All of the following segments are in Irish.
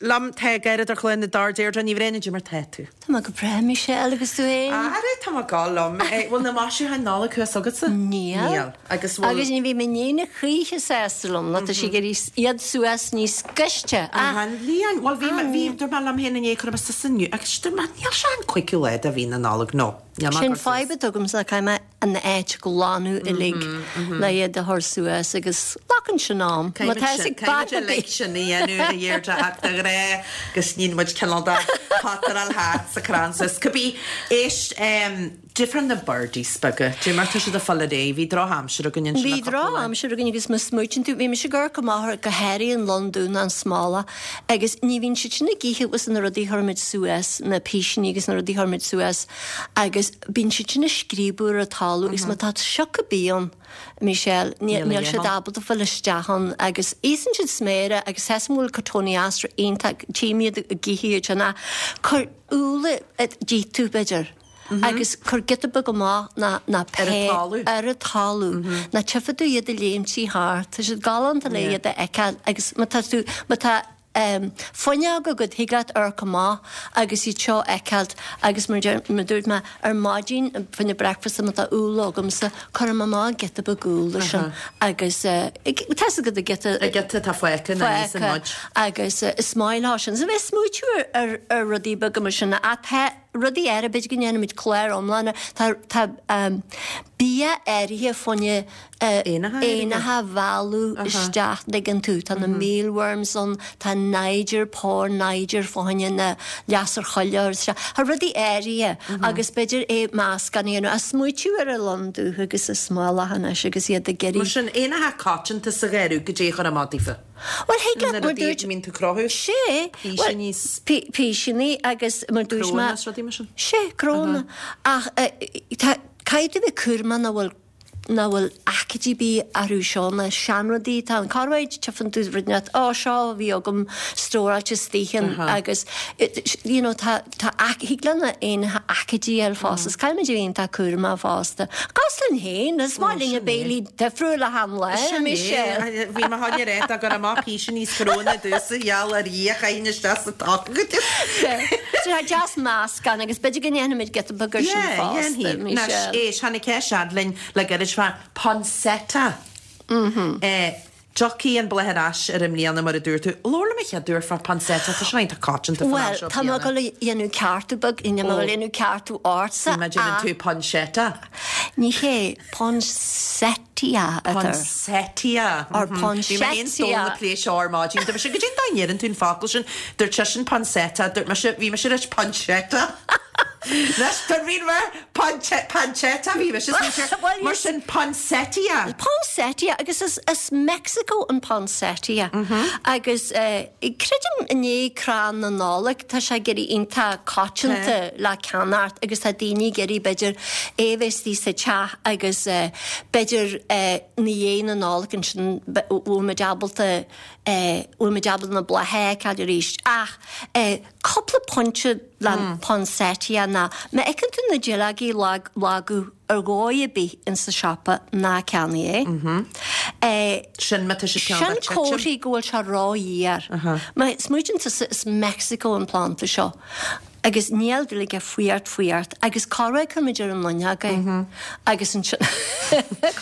liom tá gairid ar chlár na dTor Deirdre Ní Bhraonáin, Goidé mar tá tú. Tá mé go breá, Michelle, agus tú féin? Ara, tá mé go liom. Bhfuil na maisiúcháin Nollag thuas agatsa? Níl. Níl. Agus bhfuil. Agus ní bhí m'iníon a choíche sásta liom, nó tá sí ag iarraidh iad suas níos gaiste. Ach. An bhliain. Bhuel, bhí mé, bhí, dúirt mé liom féin inné, cuirfidh mé suas inniu, agus dúirt mé, níl sé an cúigiú lá de mhí na Nollag, no. Níl mé ag Sin cur suas. fadhb atá agamsa, caithfidh mé an áit a ghlanadh uilig le iad a chur suas agus glacann sin am. Má tá fhios ag bean ar bith. Sin a dhéanamh a Dheirdre ach de ghnáth go sníonn muid cineál de potteráil thart sa crann suas. Cibé, éist, difear na birdies beaga, dé mar tá siad ag fáil ar aghaidh, bhí drochaimsir againn ansin Bhí le cúpla lá. drochaimsir againn agus má smaoitíonn tú, bhí mise ag amharc amach ar go háirithe an lon dubh ná an smólach agus ní bhíonn siad sin ag ithe agus na rudaí a chuirimid suas, na písíní agus na rudaí a chuirimid suas agus Bíonn siad sin ag scríobadh ar an talamh agus má tá sioc ar bith ann, Michelle, níl siad ábalta fáil isteach ann agus íosann siad sméara agus tá 'fhios a'm go bhfuil cotoneaster iontach, tchím iad ag ithe iad sin ach cuir úlla d'ith tú b'fhéidir agus cuir giota beag amach ná ná pé ar an talamh ná tchífidh tú iad ag léimtí thart, tá siad galánta le iad a fheiceáil agus má tá tú, má tá. fuinneog agat, thig leat amharc amach agus iad seo a fheiceáilt agus mar mar dúirt mé ar maidin fá choinne breakfast má tá úll agamsa, cuirim amach giota beag úll sin agus tá 'fhios agat an giota An giota atá fágtha ná íosann muid. agus is maith leo sin. So bheith ag smaoitiú ar ar rudaí beaga mar sin ach tá rudaí eile, b'fhéidir go ndéanfaimid clár iomlán ar, tá tá bia áirithe fá choinne éanacha a mhealladh isteach, dtuigeann tú. Tá na mealworms ann, tá nyjer, pór nyjer fá choinne na lasair choille a chur isteach. Tá rudaí áirithe agus b'fhéidir é meascán a dhéanamh. Ach smaoitiú ar an lon dubh agus an smólach anois agus iad ag iarraidh. Mar sin, éanacha coitianta sa gharradh, goidé a chur amach daofa. Bhuel, thig leat, mar dúirt. Mbíonn tú cruthú. Sé. Písíní. Písíní agus mar dúirt mé. Crónna is rudaí mar sin. Sé, crónna. Ach tá, caithfidh tú bheith cúramach nach bhfuil nach bhfuil aicídí ar bith orthu seo, na seanrudaí atá ann. Corruair tchíonn tú rud inteacht, ó seo a bhí agam stóráilte istoíche agus you know tá tá thig le na éanacha aicídí a fháil fosta. Is caithfimid a bheith iontach cúramach fosta. Cosúil linn féin, is maith linn béilí difriúil achan lá, Michelle. Bhí mé chun a rá dá gcuirfeá amach písíní is crónna domhsa gheall ar Dhia chaithfinn isteach sa tóg. Tá deas meascán agus b'fhéidir go ndéanfaimid giota beag ar sin fosta, Michelle. Éist, tháinig ceist fhad linn le gairid fá poinsettia. Tiocfaidh an bláth ar ais ar i mbliana mar a dúirt tú. Labhair liom an chéad uair fá poinsettia, tá sé iontach coitianta fan am seo bliana. Bhuel, tá mé ag dul a dhéanamh ceartú beag, níl mé ag dul a dhéanamh ceartú ortsa ach. Déanann tú poinsettia. Ní hé, poinsettia atá air. Poinsettia. Or poinsettia. Bhí mé féin is Dónal ag plé seo ar maidin. Dúirt mise, goidé an dóigh a ndeireann tú an focal sin? Dúirt seisean poinsettia, dúirt mise, bhí mise ag rá poinsettia. Anois, tuairimín mar pancetta bhí mise smaointe mar sin poinsettia. Poinsettia agus is as Mexico an poinsettia agus creidim i ndiaidh crann na Nollag tá sé ag éirí iontach coitianta le ceannacht agus tá daoine ag iarraidh b'fhéidir é a bheith istigh sa teach agus b'fhéidir ina dhiaidh na Nollag ansin bhfuil muid ábalta bhfuil muid ábalta na blátha a fheiceáil arís ach Cúpla pointe le poinsettia ná má fheiceann tú na duilleogaí ag lagadh ar dhóigh ar bith in sa siopa ná ceannaigh é. Sin má tá sé ceann Sin comharthaí go bhfuil sé rófhuar. Má smaoitíonn tusa is Mexico an planda seo agus níl dúil aige fuireacht fuireacht agus corruair cuirimid ar an fhuinneog é agus ansin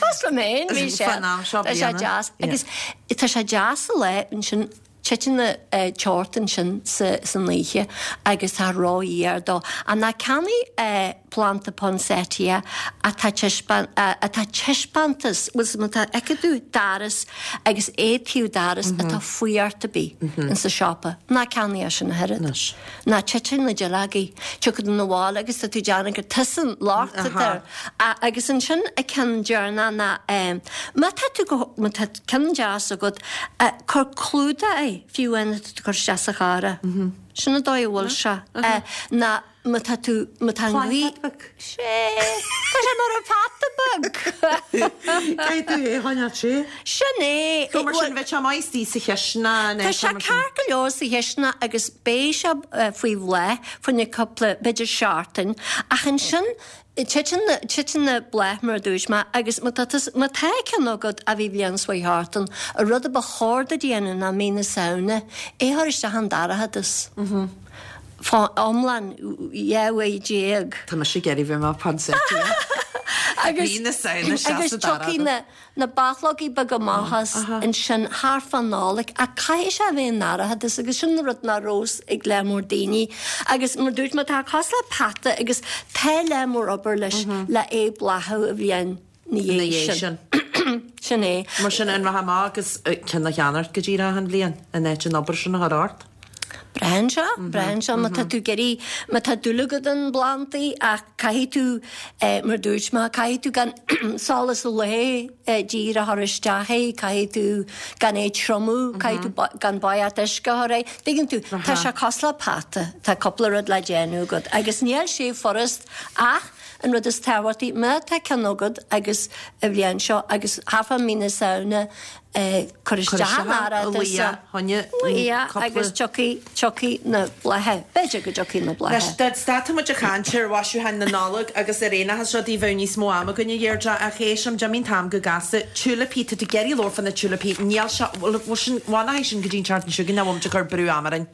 cosúil liom féin bhí sé tá sé deas agus tá sé deas sa lá ansin Titeann an teocht ansin san oíche agus tá rófhuar dó. Ach ná ceannaigh planda poinsettia atá atá taispeántas, bhfuil má tá fheiceann tú doras agus é taobh doras atá fuireacht ar bith insa siopa, ná ceannaigh é sin ach oiread. Ná titeann na duilleogaí, tiocfaidh tú 'na bhaile agus tá tú ag déanamh gur tusa an locht atá air. Agus ansin an ceann deireanach ná má tá tú go, má tá ceann deas agat, cuir clúdach air fiú amháin atá tú ag cur isteach sa charr é. Sin an dóigh a bhfuil sé. Ná. má tá tú, má tá an ghaoth. Pláinéad beag. Sea, tá sé mar an pheata beag. Caithfidh tú é a choinneáil te. Sin é. So mar sin, bheadh sé maith istigh sa chisteanach Tá sé ceart go leor sa chisteanach agus beidh sé faoi bhláth fá choinne cúpla, b'fhéidir seachtain, ach ansin titeann na, titeann na blátha mar a dúirt mé agus má tá tú, má tá ceann agat a bhí bliain seo thart ann, an rud a ba chóir duit a dhéanamh ná mí na Samhna é a chur isteach an dorchadas. Fá iomlán 12 uair. Tá mise ag iarraidh bheith mar poinsettia. Agus Mí na Samhna isteach agus sa dara tiocfaidh na na bachlógaí beaga amach as ansin thart fán Nollaig ach caithfidh sé a bheith i ndorchadas agus sin an rud nach raibh ag lear mór daoine agus mar dúirt mé tá cosúil le peata agus tá lear mór obair leis le é bláthú an bhliain na dhiaidh sin. Sin é. Mar sin, an raibh amach agus ceann a cheannacht go díreach an bhliain in áit an obair sin a chur ort? Braitheann sé, braitheann sé má tá tú ag iarraidh, má tá dúil agat i bplandaí ach caithfidh tú, mar dúirt mé, caithfidh tú gan solas lae díreach a chur isteach é, caithfidh tú gan é triomú, caithfidh tú gan boigeacht uisce a chur air. Tuigeann tú, tá sé cosúil le peata, tá cúpla rud le déanamh agat agus níl sé furast ach An rud is tábhachtaí, má tá ceann agat agus an bhliain seo agus thart fá mí na Samhna cuir isteach an dorchadas agus tiocfaidh, tiocfaidh na blátha, b'fhéidir go dtiocfaidh na blátha. Anois, dá stadfadh muid ag caint ar mhaisiúcháin na Nollag agus ar aon chás rudaí bheadh níos mó ama againn a Dheirdre ach éist, d'imigh an t-am go gasta. Tiúilipí, tá tú ag iarraidh labhairt fá na tiúilipí, níl sé, bhfuil sin, bhfuil sin go dtí an tseachtain seo chugainn nó bhfuil muid ag cur brú ama orainn?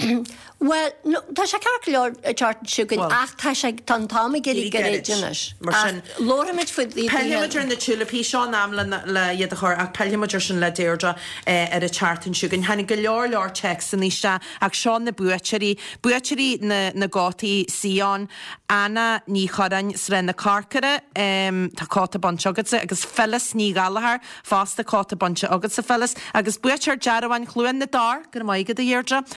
Bhuel, no, tá sé ceart go leor an tseachtain seo chugainn ach tá sé, tá an t-am ag éirí gairid anois. Mar sin, Ach labharfaimid faoi daoine. Pillfimid ar na tiúilipí, seo an am le, le iad a chur ach pillfimid ar sin le Deirdre ar an tseachtain seo chugainn. Tháinig go leor leor téacsanna isteach ach seo na buaiteoirí, buaiteoirí na, na gcótaí Sion, Anna Ní Churráin, Srath na Corcora, tá cóta bainte agatsa, agus Phyllis Ní Ghallchóir, fosta cóta bainte agatsa Phyllis, agus buaiteoir dearbháin Chluain na dTor, go raibh maith agat a Dheirdre.